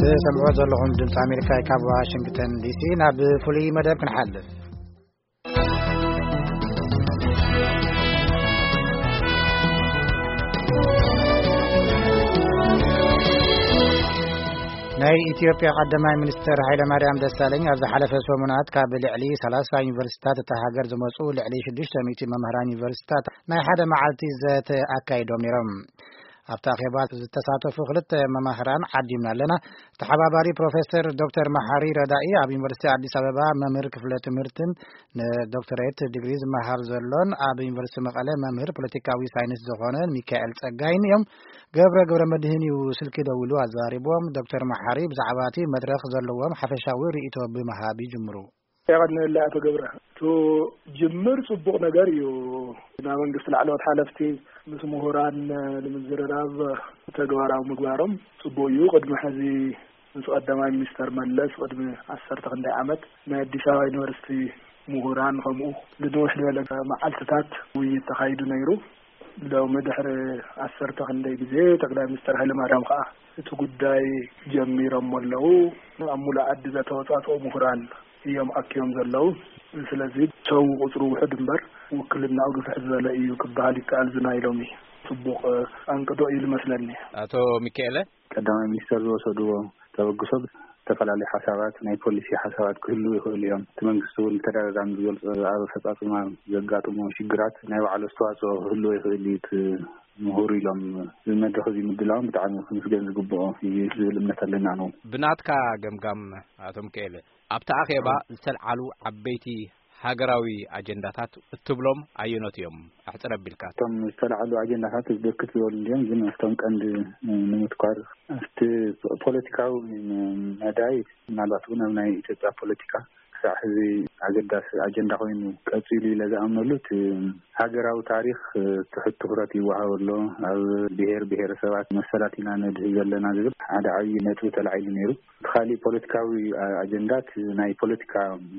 ትሰምዑ ዘለኹም ድምፂ ኣሜሪካ ካብ ዋሽንግተን ዲሲ። ናብ ፍሉይ መደብ ክንሓልፍ። ናይ ኢትዮጵያ ቀዳማይ ሚኒስትር ሃይለማርያም ደሳለኝ ኣብ ዝሓለፈ ሰሙናት ካብ ልዕሊ ሰላሳ ዩኒቨርሲታት እታ ሃገር ዝመጹ ልዕሊ ሽዱሽተ ሚእቲ መምህራን ዩኒቨርሲታት ናይ ሓደ መዓልቲ ዘተ ኣካይዶም ነይሮም። ኣብቲ ኣኼባ ዝተሳተፉ ክልተ መማህራን ዓዲምና ኣለና። ተሓባባሪ ፕሮፌሰር ዶክተር መሓሪ ረዳኢ ኣብ ዩኒቨርሲቲ ኣዲስ ኣበባ መምህር ክፍለ ትምህርትን ንዶክተሬት ዲግሪ ዝመሃር ዘሎን ኣብ ዩኒቨርሲቲ መቐለ መምህር ፖለቲካዊ ሳይንስ ዝኾነ ሚካኤል ጸጋይን እዮም። ገብረ ገብረ መድህን እዩ ስልኪ ደዊሉ ኣዘራሪብዎም። ዶክተር መሓሪ ብዛዕባ እቲ መድረኽ ዘለዎም ሓፈሻዊ ርእይቶ ብምሃብ ይጅምሩ። የቐንየለይ ኣቶ ገብረ። እቲ ጅምር ጽቡቕ ነገር እዩ። ናብ መንግስቲ ላዕለዎት ሓለፍቲ ምስ ምሁራን ንምዝርራብ ተግባራዊ ምግባሮም ጽቡቕ እዩ። ቅድሚ ሕዚ ምስ ቀዳማይ ሚኒስተር መለስ ቅድሚ ዓሰርተ ክንደይ ዓመት ናይ ኣዲስ ኣበባ ዩኒቨርሲቲ ምሁራን ከምኡ ንንውሕ ዝበለ መዓልትታት ውይይት ተኻይዱ ነይሩ። ሎሚ ድሕሪ ዓሰርተ ክንደይ ግዜ ጠቅላይ ሚኒስተር ሃይለማርያም ከኣ እቲ ጉዳይ ጀሚሮሞ ኣለዉ። ኣብ ሙሉእ ዓዲ ዘተወጻጽኡ ምሁራን እዮም ኣኪቦም ዘለዉ። ስለዚ ሰው ቁጽሩ ውሑድ እምበር ውክልናኡ ግፍሕ ዝበለ እዩ ክበሃል ይከኣል። እዚ ናይ ሎሚ ጽቡቕ ኣንቅዶ እዩ ዝመስለኒ። ኣቶ ሚካኤለ? ቀዳማይ ሚኒስተር ዝወሰድዎ ተበግሶ ዝተፈላለዩ ሓሳባት፣ ናይ ፖሊሲ ሓሳባት ክህልዉ ይኽእሉ እዮም። እቲ መንግስቲ እውን ብተደጋጋሚ ዝገልጾ ኣብ ኣፈጻጽማ ዘጋጥሞ ሽግራት ናይ ባዕሉ ኣስተዋጽኦ ክህልዎ ይኽእል እዩ። እቲ ምሁር ኢሎም እዚ መድረኽ እዚ ምድላዎም ብጣዕሚ ክምስገን ዝግብኦ እዩ ዝብል እምነት ኣለና ንኡ። ብናትካ ገምጋም ኣቶ ሚካኤለ፣ ኣብቲ ኣኼባ ዝተልዓሉ ዓበይቲ ሃገራዊ ኣጀንዳታት እትብሎም ኣየኖት እዮም? ኣሕጽር ኣቢልካ። እቶም ዝተልዓሉ ኣጀንዳታት ብርክት ዝበሉ እንድዮም፣ ግን ኣብቶም ቀንዲ ንምትኳር ኣብቲ ፖለቲካዊ መዳይ ምናልባት እውን ኣብ ናይ ኢትዮጵያ ፖለቲካ ክሳዕ ሕዚ ኣገዳሲ ኣጀንዳ ኮይኑ ቀጺሉ ኢለ ዝኣምነሉ እቲ ሃገራዊ ታሪኽ ትሑት ትኹረት ይወሃበሉ፣ ኣብ ብሄር ብሄረሰባት መሰላት ኢና ነድህብ ዘለና ዝብል ሓደ ዓብዪ ነጥቢ ተላዒሉ ነይሩ። እቲ ካሊእ ፖለቲካዊ ኣጀንዳት ናይ ፖለቲካ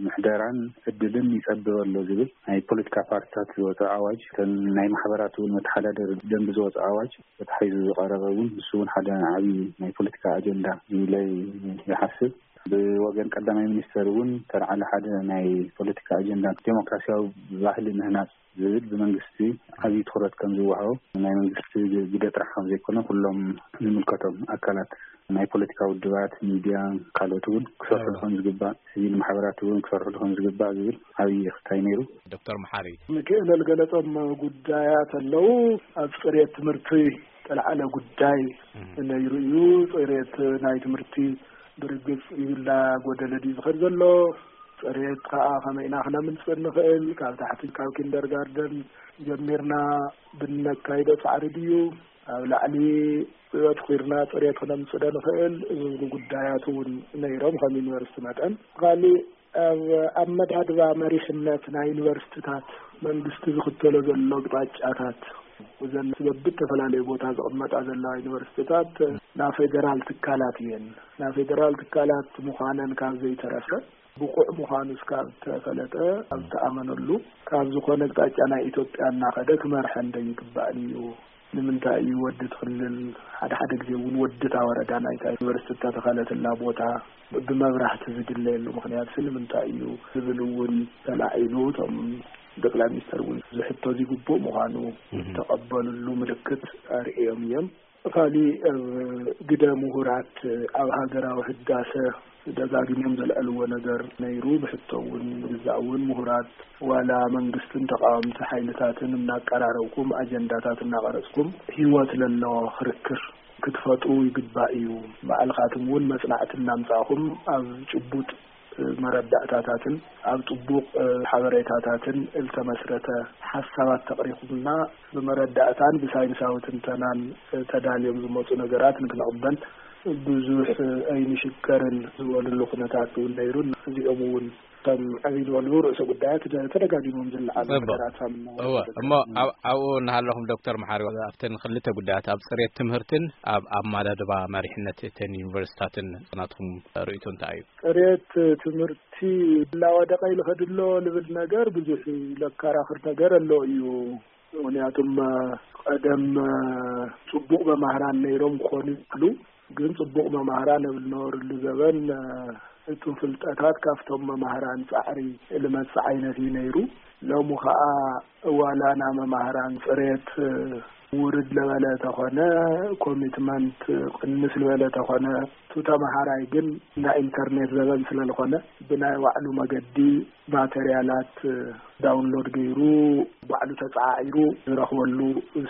ምሕደራን ዕድልን ይጸብብ ኣሎ ዝብል ናይ ፖለቲካ ፓርቲታት ዝወፀ ኣዋጅ፣ እተን ናይ ማሕበራት እውን መተሓዳደሪ ደንቢ ዝወፀ ኣዋጅ ተታሒዙ ዝቐረበ እውን ንሱ እውን ሓደ ዓብዪ ናይ ፖለቲካ ኣጀንዳ ኢለ ይሓስብ። ብወገን ቀዳማይ ሚኒስተር እውን ተልዓለ ሓደ ናይ ፖለቲካ ኣጀንዳ ዴሞክራሲያዊ ባህሊ ምህናፅ ዝብል ብመንግስቲ ዓብዪ ትኹረት ከም ዝወሃቦ ናይ መንግስቲ ግደ ጥራሕ ከም ዘይኮነ ኩሎም ዝምልከቶም ኣካላት ናይ ፖለቲካ ውድባት፣ ሚድያ፣ ካልኦት እውን ክሰርሑ ከም ዝግባእ፣ ሲቪል ማሕበራት እውን ክሰርሑ ከም ዝግባእ ዝብል ዓብዪ ክታይ ነይሩ። ዶክተር መሓሪ። ሚካኤል ዝገለጾም ጉዳያት ኣለዉ። ኣብ ጽሬት ትምህርቲ ዝተልዓለ ጉዳይ ነይሩ እዩ። ጽሬት ናይ ትምህርቲ ብርግጽ ይብላ ጎደለ ድዩ ዝኸድ ዘሎ? ጽሬት ከኣ ከመይ ኢና ክነምጽእ ንኽእል? ካብ ታሕቲ ካብ ኪንደርጋርደን ጀሚርና ብነካይዶ ጻዕሪ ድዩ ኣብ ላዕሊ ኣትኲርና ጽሬት ክነምጽእ ዶ ንኽእል? ዝብሉ ጉዳያት እውን ነይሮም ከም ዩኒቨርሲቲ መጠን። ካሊእ ኣብ ኣመዳድባ መሪሕነት ናይ ዩኒቨርሲቲታት መንግስቲ ዝኽተሎ ዘሎ ኣቕጣጫታት፣ እዘን በብተፈላለዩ ቦታ ዝቕመጣ ዘለዋ ዩኒቨርሲቲታት ናይ ፌደራል ትካላት እየን። ናይ ፌደራል ትካላት ምዃነን ካብ ዘይተረፈ፣ ብቑዕ ምዃኑ እስካብ ተፈለጠ፣ ኣብ ተኣመነሉ፣ ካብ ዝኾነ ኣቕጣጫ ናይ ኢትዮጵያ እናኸደ ክመርሐን ዶ ይግባእን እዩ? ንምንታይ እዩ ወዲ እቲ ክልል፣ ሓደ ሓደ ግዜ እውን ወዲ እታ ወረዳ ናይታ ዩኒቨርሲቲ እተተኸለትላ ቦታ ብመብራህቲ ዝድለየሉ ምኽንያት ሲ ንምንታይ እዩ ዝብል እውን ተላዒሉ። እቶም ጠቅላይ ሚኒስተር እውን እዚ ሕቶ እዚ ግቡእ ምዃኑ ዝተቐበልሉ ምልክት ኣርእዮም እዮም። ካሊእ ኣብ ግደ ምሁራት ኣብ ሃገራዊ ህዳሰ ደጋጊሞም ዘልዐልዎ ነገር ነይሩ። ብሕቶ እውን ምግዛእ እውን ምሁራት ዋላ መንግስትን ተቃወምቲ ሓይልታትን እናቀራረብኩም ኣጀንዳታት እናቐረጽኩም ህይወት ለለዎ ክርክር ክትፈጥሩ ይግባእ እዩ። ባዕልኻትም እውን መጽናዕቲ እናምጻእኹም ኣብ ጭቡጥ መረዳእታታትን ኣብ ጥቡቕ ሓበሬታታትን እልተመስረተ ሓሳባት ተቕሪኹምና ብመረዳእታን ብሳይንሳዊ ትንተናን ተዳልዮም ዝመጹ ነገራት ንክንቕበል ብዙሕ ኣይንሽገርን ዝበሉሉ ኩነታት እውን ነይሩን እዚኦም እውን ከም ዕብይ ዝበሉ ርእሰ ጉዳያት ተደጋጊሞም ዝለዓሉ ጽቡቕ። ነገራት እሞ እሞ ኣብ ኣብኡ እናሃለኹም ዶክተር መሓሪ ኣብተን ክልተ ጉዳያት ኣብ ጽሬት ትምህርትን ኣብ ኣማዳድባ መሪሕነት እተን ዩኒቨርሲታትን ናትኩም ርእይቶ እንታይ እዩ? ጽሬት ትምህርቲ እናወደቐ ይልኸድ ኣሎ ልብል ነገር ብዙሕ ለከራኽር ነገር ኣሎ እዩ። ምኽንያቱም ቀደም ጽቡቕ መማህራን ነይሮም ክኾኑ ይኽእሉ። ግን ጽቡቕ መማህራን ኣብ ዝነበርሉ ዘበን፣ እ፣ እቱ ፍልጠታት ካብቶም መማህራን ጻዕሪ ልመጽእ ዓይነት እዩ ነይሩ። ሎሚ ኸኣ ዋላ ና መማህራን ጽሬት፣ እ፣ ውርድ ለበለ ተኾነ፣ ኮሚትመንት ቅንስ ልበለ ተኾነ፣ እቱ ተመሃራይ ግን ናይ ኢንተርኔት ዘበን ስለ ዝኾነ ብናይ ባዕሉ መገዲ ማተርያላት ዳውንሎድ ገይሩ ባዕሉ ተጻዒሩ ዝረኽበሉ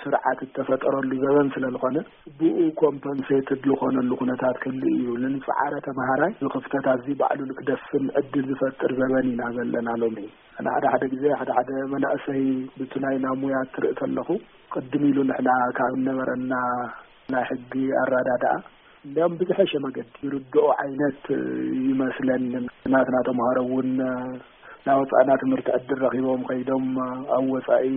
ስርዓት እተፈጠረሉ ዘበን ስለ ዝኾነ፣ ብኡ ኮምፐንሴትድ ዝኾነሉ ኩነታት ክህሉ እዩ። ንንጽዓረ ተመሃራይ ዝኽፍተት ኣዚ ባዕሉ ንክደፍን ዕድል ዝፈጥር ዘበን ኢና ዘለና ሎሚ። ኣነ ሓደ ሓደ ግዜ ሓደ ሓደ መናእሰይ ብቲ ናይ ናሙያ ትርኢ ተለኹ፣ ቅድም ኢሉ ንሕና ካብ እነበረና ናይ ሕጊ ኣረዳድኣ እንዲያውም ብዝሐሸ መገዲ ይርድኦ ዓይነት ይመስለኒ። ናትና ተምሃሮ እውን ናወፃእና ትምህርቲ ዕድል ረኺቦም ከይዶም ኣብ ወፃኢ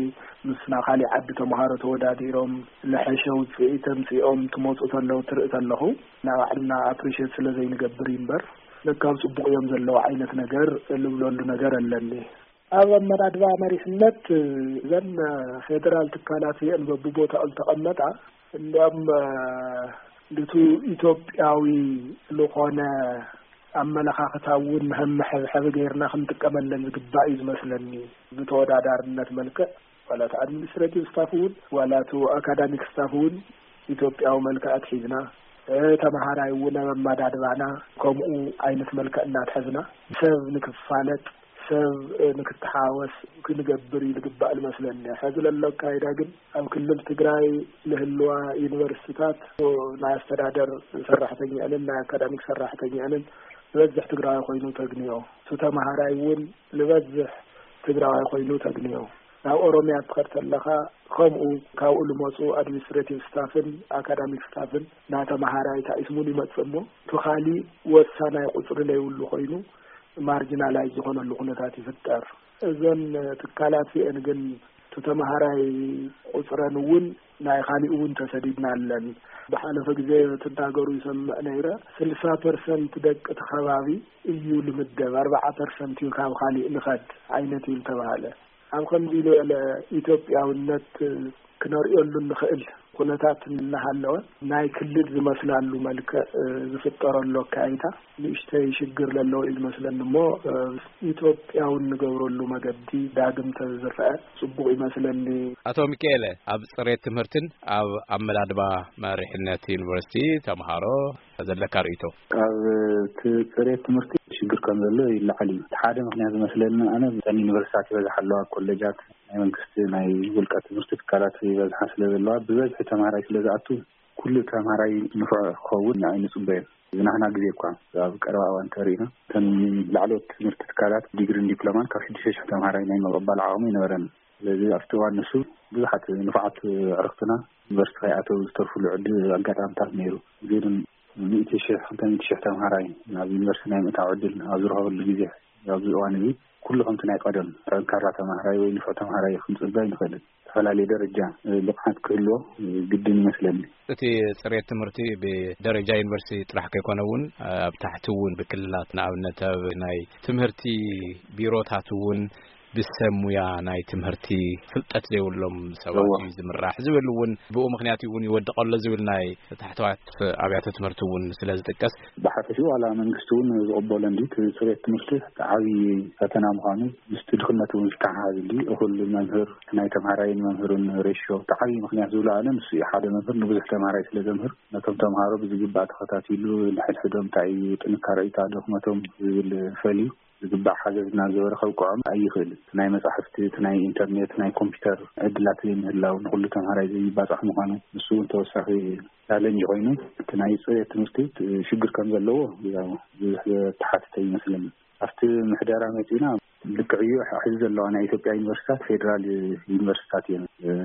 ምስና ካሊእ ዓዲ ተምሃሮ ተወዳዲሮም ለሐሸ ውፅኢት ተምፂኦም ትመፁ ተለው ትርኢ ተለኹ፣ ናባዕልና ኣፕሪሼት ስለ ዘይንገብር እዩ እምበር ለካብ ፅቡቕ እዮም ዘለዉ ዓይነት ነገር ልብለሉ ነገር ኣለኒ። ኣብ ኣመዳድባ መሪሕነት እዘን ፌደራል ትካላት እየን በብቦታኡ ዝተቐመጣ። እንዲያም ልቱ ኢትዮጵያዊ ዝኾነ ኣመለኻኽታ እውን መመሐብሐቢ ገይርና ክንጥቀመለን ዝግባእ እዩ ዝመስለኒ። ብተወዳዳርነት መልክዕ ዋላ እቲ ኣድሚኒስትሬቲቭ ስታፍ እውን ዋላ እቲ ኣካዳሚክ ስታፍ እውን ኢትዮጵያዊ መልክዕ ኣትሒዝና፣ እ፣ ተመሃራይ እውን ኣብ ኣመዳድባና ከምኡ ዓይነት መልክዕ እናትሐዝና ሰብ ንክፋለጥ ሰብ ንክተሓወስ ክንገብር እዩ ዝግባእ ዝመስለኒ። ሕዚ ለሎ ኣካይዳ ግን ኣብ ክልል ትግራይ ልህልዋ ዩኒቨርሲቲታት ናይ ኣስተዳደር ሰራሕተኛንን ናይ ኣካዳሚክ ሰራሕተኛንን ዝበዝሕ ትግራዊ ኮይኑ ተግንዮ። እቲ ተምሃራይ እውን ዝበዝሕ ትግራዋይ ኮይኑ ተግንዮ። ናብ ኦሮምያ ትኸድ ተለኻ ከምኡ ካብኡ ልመፁ ኣድሚኒስትሬቲቭ ስታፍን ኣካዳሚክ ስታፍን ናይ ተምሃራይ ታኢስሙን ይመፅእ እሞ እቲ ካሊእ ወሳናይ ቁፅሪ ለይብሉ ኮይኑ ማርጂናላይዝ ዝኾነሉ ኩነታት ይፍጠር። እዘን ትካላት እዚአን ግን እቲ ተምሃራይ ቁፅረን እውን ናይ ካሊእ እውን ተሰዲድና ኣለን። ብሓለፈ ግዜ ትናገሩ ይሰምዕ ነይረ። ስልሳ ፐርሰንት ደቂ እቲ ከባቢ እዩ ልምደብ፣ ኣርባዓ ፐርሰንት እዩ ካብ ካሊእ ልኸድ ዓይነት እዩ ዝተባሃለ። ኣብ ከምዚ ኢሉ ኢትዮጵያውነት ክነርእየሉ እንኽእል ኩነታት እናሃለወ ናይ ክልል ዝመስላሉ መልክዕ ዝፍጠረሉ ኣካይታ ንእሽተይ ሽግር ዘለዎ እዩ ዝመስለኒ እሞ ኢትዮጵያውን ንገብረሉ መገዲ ዳግም ተዝረአ ጽቡቕ ይመስለኒ። ኣቶ ሚካኤለ፣ ኣብ ጽሬት ትምህርትን ኣብ ኣመዳድባ መሪሕነት ዩኒቨርሲቲ ተምሃሮ ዘለካ ርእይቶ? ኣብ እቲ ጽሬት ትምህርቲ ሽግር ከም ዘሎ ይለዓል እዩ። እቲ ሓደ ምኽንያት ዝመስለኒ ኣነ እተን ዩኒቨርሲታት ይበዝሓ ኣለዋ፣ ኮሌጃት ናይ መንግስቲ ናይ ውልቀ ትምህርቲ ትካላት ይበዝሓ ስለ ዘለዋ ብበዝሒ ተምሃራይ ስለ ዝኣቱ ኩሉ ተምሃራይ ንፉዕ ክኸውን ኣይንጽበዮን። ዝናህና ግዜ እኳ ኣብ ቀረባ እዋን እንተሪእና እተን ላዕለዎት ትምህርቲ ትካላት ዲግሪን ዲፕሎማን ካብ ሽዱሽተ ሽሕ ተምሃራይ ናይ ምቕባል ዓቕሚ ኣይነበረን። ስለዚ ኣብቲ እዋን ንሱ ብዙሓት ንፉዓት ኣዕርኽትና ዩኒቨርሲቲ ከይኣተው ዝተርፉሉ ዕድል ኣጋጣሚታት ነይሩ። ግን ሚእቲ ሽሕ፣ ክልተ ሚእቲ ሽሕ ተምሃራይ ናብ ዩኒቨርሲቲ ናይ ምእታው ዕድል ኣብ ዝረኸበሉ ግዜ ኣብዚ እዋን እዚ ኩሉ ከምቲ ናይ ቀደም ጠንካራ ተምሃራይ ወይ ንፉዕ ተምሃራይ ክንጽበ ኣይንኽእልን። ዝተፈላለየ ደረጃ ብቕዓት ክህልዎ ግድን ይመስለኒ። እቲ ጽሬት ትምህርቲ ብደረጃ ዩኒቨርሲቲ ጥራሕ ከይኮነ እውን ኣብ ታሕቲ እውን ብክልላት ንኣብነት ኣብ ናይ ትምህርቲ ቢሮታት እውን ብሰብ ሙያ ናይ ትምህርቲ ፍልጠት ዘይብሎም ሰባት እዎ። እዩ ዝምራሕ ዝብል እውን ብኡ ምኽንያት እውን ይወድቕ ኣሎ ዝብል ናይ ታሕተዋት ኣብያተ ትምህርቲ እውን ስለ ዝጥቀስ። ብሓፈሽኡ ዋላ መንግስቲ እውን ዝቕበሎ እንዲ እቲ ጽሬት ትምህርቲ ዓብዪ ፈተና ምዃኑ ምስቲ ድኽነት እውን ዝተሓሓዝ እንዲ እኹል መምህር ናይ ተምሃራይን መምህርን ሬሾ እቲ ዓብዪ ምኽንያት ዝብሎ ኣነ ንሱ እዩ። ሓደ መምህር ንብዙሕ ተምሃራይ ስለ ዘምህር ነቶም ተምሃሮ ብዝግባእ ተኸታቲሉ ንሕድሕዶም እንታይ እዩ ጥንካረ እዩ ድኽመቶም ዝብል ፈልዩ ዝግባእ ሓገዝ እናገበረ ከብቅዖም ኣይኽእልን። ናይ መጻሕፍቲ፣ እቲ ናይ ኢንተርኔት፣ ናይ ኮምፒውተር ዕድላት ዘይምህላው ንኹሉ ተምሃራይ ዘይባጻሕ ምዃኑ ንሱ እውን ተወሳኺ ቻለንጅ ኮይኑ እቲ ናይ ጽሬት ትምህርቲ ሽግር ከም ዘለዎ ያው ብዙሕ ዘተሓትተ ይመስለኒ። ኣብቲ ምሕደራ መጺእና ልክዕ እዩ። ሕዚ ዘለዋ ናይ ኢትዮጵያ ዩኒቨርሲታት ፌዴራል ዩኒቨርሲታት እየን።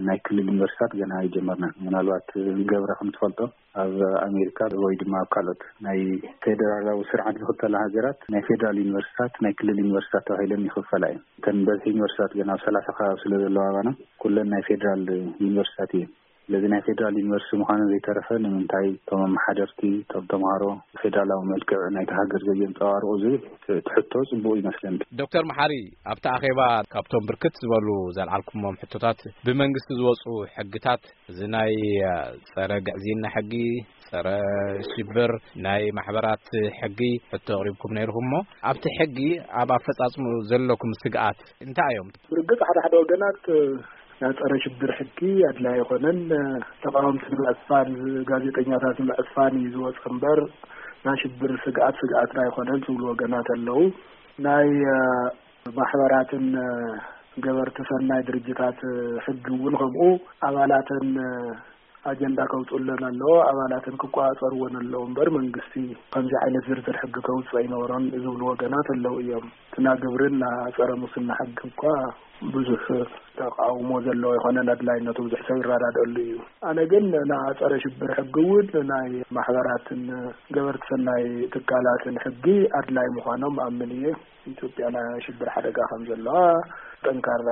ናይ ክልል ዩኒቨርሲታት ገና ኣይጀመርናን። ምናልባት ገብረ ከም ትፈልጦ ኣብ ኣሜሪካ ወይ ድማ ኣብ ካልኦት ናይ ፌደራላዊ ስርዓት ዝኽተላ ሃገራት ናይ ፌደራል ዩኒቨርሲታት ናይ ክልል ዩኒቨርሲታት ተባሂለን ይኽፈላ እየን። እተን በዝሒ ዩኒቨርሲታት ገና ኣብ ሰላሳ ከባቢ ስለ ዘለዋ ኣባና ኩለን ናይ ፌደራል ዩኒቨርሲታት እየን። ስለዚ ናይ ፌደራል ዩኒቨርሲቲ ምዃኑ ዘይተረፈ ንምንታይ እቶም ኣመሓደርቲ እቶም ተምሃሮ ፌደራላዊ መልክዕ ናይቲ ሃገር ዘየንፀባርቑ ዝብል እቲ ሕቶ ጽቡቕ ይመስለኒ። ዶክተር መሓሪ፣ ኣብቲ ኣኼባ ካብቶም ብርክት ዝበሉ ዘልዓልኩሞም ሕቶታት ብመንግስቲ ዝወፁ ሕግታት እዚ ናይ ጸረ ግዕዝይና ሕጊ፣ ጸረ ሽብር ናይ ማሕበራት ሕጊ ሕቶ ኣቕሪብኩም ነይርኩም እሞ፣ ኣብቲ ሕጊ ኣብ ኣፈጻጽሙ ዘለኩም ስግኣት እንታይ እዮም? ብርግጽ ሓደ ሓደ ወገናት ናይ ጸረ ሽብር ሕጊ ኣድላይ ኣይኮነን፣ ተቃወምቲ ንምዕፋን፣ ጋዜጠኛታት ንምዕፋን እዩ ዝወጽእ እምበር ናይ ሽብር ስግኣት ስግኣትና ኣይኮነን ዝብሉ ወገናት ኣለዉ። ናይ ማሕበራትን ገበርቲ ሰናይ ድርጅታት ሕጊ እውን ከምኡ ኣባላተን ኣጀንዳ ከውፅኡለን ኣለዎ። ኣባላተን ክቆፃፀርወን ኣለዎ እምበር መንግስቲ ከምዚ ዓይነት ዝርዝር ሕጊ ከውፅእ ኣይነበሮን ዝብሉ ወገናት ኣለዉ እዮም። እቲ ና ግብርን ና ፀረ ሙስና ሕጊ እኳ ብዙሕ ተቃውሞ ዘለዎ ኣይኮነን፣ ኣድላይነቱ ብዙሕ ሰብ ይረዳደኣሉ እዩ። ኣነ ግን ና ፀረ ሽብር ሕጊ እውን ናይ ማሕበራትን ገበርቲ ሰናይ ትካላትን ሕጊ ኣድላይ ምዃኖም ኣምን እየ። ኢትዮጵያ ናይ ሽብር ሓደጋ ከም ዘለዋ ጠንካራ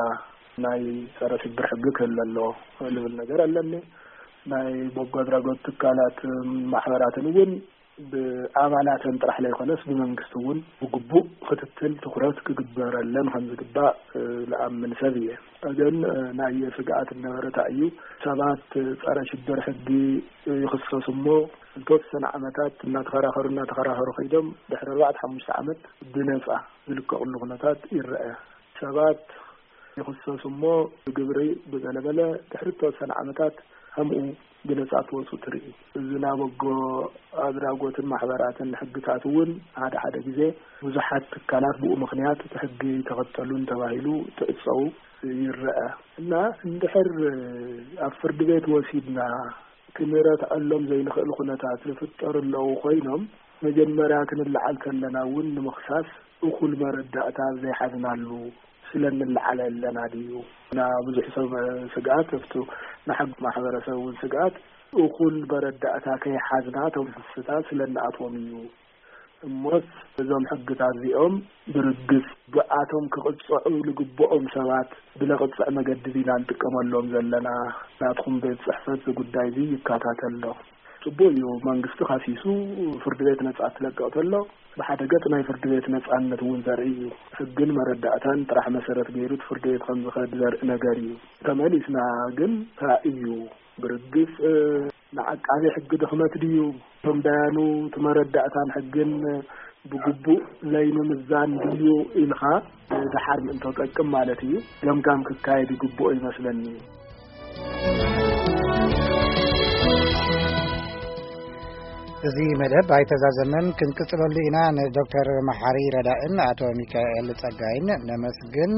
ናይ ጸረ ሽብር ሕጊ ክህለ ኣለዎ ልብል ነገር ኣለኒ። ናይ በጎ ኣድራጎት ትካላት ማሕበራትን እውን ብኣባላተን ጥራሕ ለይኮነስ ብመንግስቲ እውን ብግቡእ ክትትል ትኩረት ክግበረለን ከም ዝግባእ ዝኣምን ሰብ እየ። ግን ናይ ስግኣት ነበረታ እዩ። ሰባት ጸረ ሽብር ሕጊ ይኽሰሱ እሞ ንተወሰነ ዓመታት እናተኸራኸሩ እናተኸራኸሩ ከይዶም ድሕሪ ኣርባዕተ ሓሙሽተ ዓመት ብነጻ ዝልቀቕሉ ኩነታት ይረአ። ሰባት ይኽሰሱ እሞ ብግብሪ ብገለበለ ድሕሪ ተወሰነ ዓመታት ከምኡ ብነጻ ክወፁ ትርኢ። እዚ ናይ በጎ ኣድራጎትን ማሕበራትን ሕግታት እውን ሓደ ሓደ ግዜ ብዙሓት ትካላት ብኡ ምኽንያት እቲ ሕጊ ተኸተሉን ተባሂሉ ትዕፀው ይረአ እና እንድሕር ኣብ ፍርዲ ቤት ወሲድና ክንረትዐሎም ዘይንኽእል ኩነታት ዝፍጠሩ ኣለዉ ኮይኖም መጀመርያ ክንለዓል ከለና እውን ንምኽሳስ እኹል መረዳእታ ዘይሓዝናሉ ስለ እንለዓለ ኣለና ድዩ? ና ብዙሕ ሰብ ስግኣት እፍቱ ንሓቂ ማሕበረሰብ እውን ስግኣት እኹል መረዳእታ ከይሓዝና እቶም ክስታት ስለ እንኣትዎም እዩ። እሞስ እዞም ሕግታት እዚኦም ብርግጽ ብኣቶም ክቕጽዑ ልግብኦም ሰባት ብለቕጽዕ መገዲ ዲና ንጥቀመሎም ዘለና? ናትኩም ቤት ጽሕፈት እዚ ጉዳይ እዚ ይከታተል ዶ? ጽቡቅ እዩ፣ መንግስቲ ካሲሱ ፍርዲ ቤት ነጻ ትለቅቕ ተሎ ብሓደ ገጽ ናይ ፍርዲ ቤት ነጻነት እውን ዘርኢ እዩ። ሕግን መረዳእታን ጥራሕ መሰረት ገይሩ እቲ ፍርዲ ቤት ከም ዝኸድ ዘርኢ ነገር እዩ። ተመሊስና ግን እንታይ እዩ ብርግጽ ንዓቃቢ ሕጊ ድኽመት ድዩ? እቶም ዳያኑ እቲ መረዳእታን ሕግን ብግቡእ ለይምምዛን ድዩ ኢልካ ድሓር ምእንቶ ጠቅም ማለት እዩ። ገምጋም ክካየድ ይግብኦ ይመስለኒ። እዚ መደብ ኣይተዛዘመን፣ ክንቅጽለሉ ኢና። ንዶክተር መሓሪ ረዳእን ኣቶ ሚካኤል ጸጋይን ነመስግን።